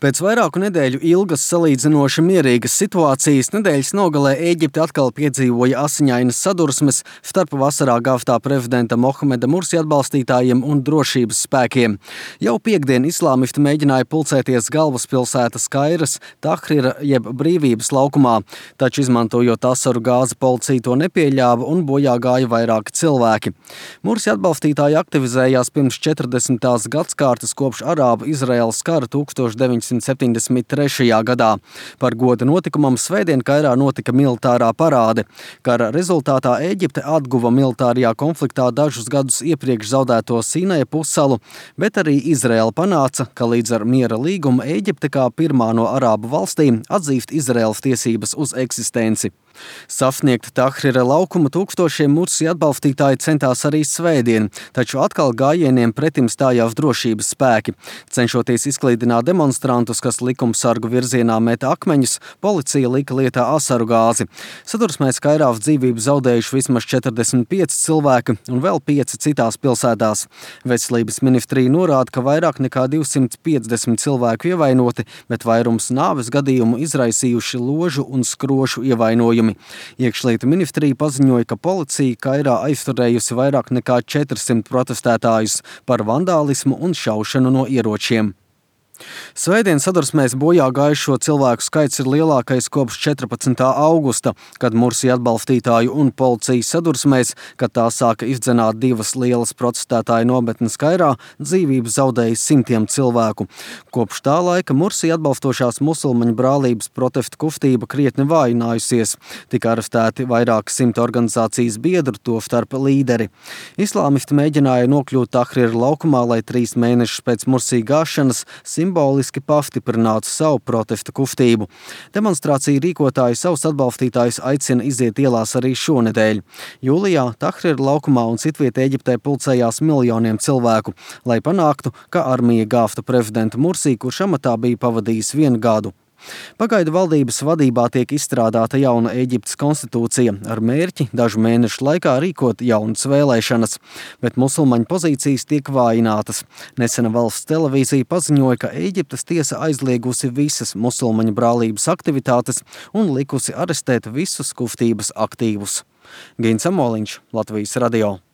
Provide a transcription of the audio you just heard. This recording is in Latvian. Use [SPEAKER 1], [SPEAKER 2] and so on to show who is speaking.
[SPEAKER 1] Pēc vairāku nedēļu ilgas salīdzinoši mierīgas situācijas nedēļas nogalē Ēģipte atkal piedzīvoja asiņainas sadursmes starp vasarā gāvtā prezidenta Mohameda Mursi atbalstītājiem un drošības spēkiem. Jau piektdien islāmisti mēģināja pulcēties galvaspilsētas Kairas Tahrira jeb Brīvības laukumā, taču izmantojot asaru gāzi policija to nepieļāva un bojā gāja vairāki cilvēki. Mursi atbalstītāji aktivizējās pirms 40. gadskārtas kopš Arābu-Izraēlas kara 1973. gadā. Par goda notikumam svētdien Kairā notika militārā parāde. Kara rezultātā Ēģipte atguva militārajā konfliktā dažus gadus iepriekš zaudēto Sinaja pussalu, bet arī Izraēla panāca, ka līdz ar miera līgumu Ēģipte kā pirmā no arābu valstīm atzīst Izraēlas tiesības uz eksistenci. Sasniegt Tahrira laukumu tūkstošiem Mursi atbalstītāji centās arī svētdien, taču atkal gājieniem pretim stājās drošības spēki. Cenšoties izklīdināt demonstrantus, kas likumsargu virzienā meta akmeņus, policija lika lietā asaru gāzi. Sadursmēs Kairā dzīvību zaudējuši vismaz 45 cilvēki un vēl 5 citās pilsētās. Veselības ministrija norāda, ka vairāk nekā 250 cilvēku ievainoti, bet vairums nāves gadījumu izraisījuši ložu un skrošu ievainojumi. Iekšlietu ministrija paziņoja, ka policija Kairā aizturējusi vairāk nekā 400 protestētājus par vandālismu un šaušanu no ieročiem. Svētdien sadursmēs bojā gājušo cilvēku skaits ir lielākais kopš 14. augusta, kad Mursi atbalstītāju un policijas sadursmēs, kad tā sāka izdzenāt divas lielas protestētāju nometnes Kairā, dzīvību zaudēja simtiem cilvēku. Kopš tā laika Mursi atbalstošās musulmaņu brālības protestu kustība krietni vājinājusies. Tika arestēti vairāk simt organizācijas biedru, tostarp līderi. Islāmisti mēģināja nokļūt Tahrira laukumā, lai 3 mēnešus pēc Mursi gāšanas simboliski pastiprinātu savu protestu kustību. Demonstrāciju rīkotāji savus atbalstītājus aicina iziet ielās arī šonedēļ. Jūlijā Tahrira laukumā un citviet Ēģiptē pulcējās miljoniem cilvēku, lai panāktu, ka armija gāvta prezidenta Mursi, kurš amatā bija pavadījis 1 gadu. Pagaidu valdības vadībā tiek izstrādāta jauna Ēģiptes konstitūcija ar mērķi dažu mēnešu laikā rīkot jaunas vēlēšanas, bet musulmaņu pozīcijas tiek vājinātas. Nesena valsts televīzija paziņoja, ka Ēģiptes tiesa aizliegusi visas musulmaņu brālības aktivitātes un likusi arestēt visus kustības aktīvus. Gins Amoliņš, Latvijas radio.